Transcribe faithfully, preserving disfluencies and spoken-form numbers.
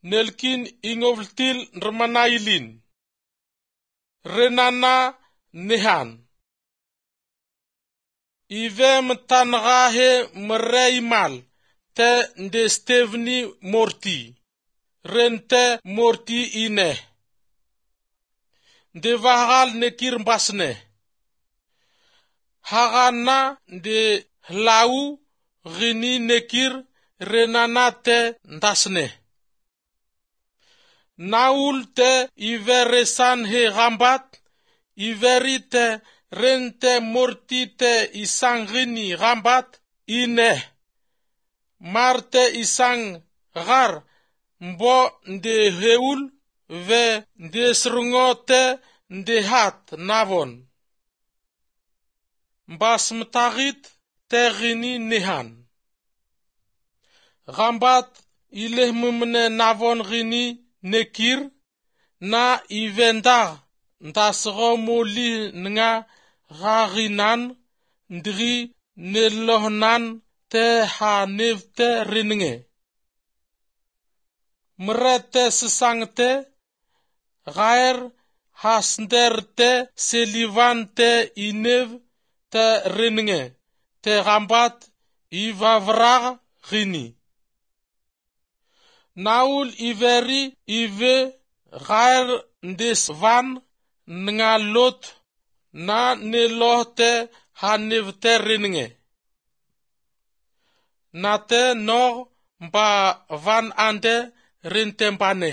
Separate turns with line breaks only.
Nelkin ingovltil nrmanailin. Renana nehan. Ive mtanğa he mre imal te nde Steveni morti. Rente morti ine. Nde vahgal nekir mbasne. Hagana nde hlau ghini nekir renana te ndasne. Naul te ive resan he ghambat, iveri te rente morti te isang ghini ghambat ine. Mar te isang ghar mbo nde heul ve nde srngo te nde hat navon. Mbas mtaghit te ghini nehan. Ghambat ilehmemne navon ghini nekir, na ive ndagh ndasgho molih nenga gha ghinan ndghi nelohnan te ha nev te renenge. Mre te sesang te, ghaer hasnder te selivan te inev te renenge te ghambat ivavragh ghini. Naul iveri ive ghaer ndes van nenga lot na neloh te hanev te renenge. Na te nogh mba van ande rente mbane.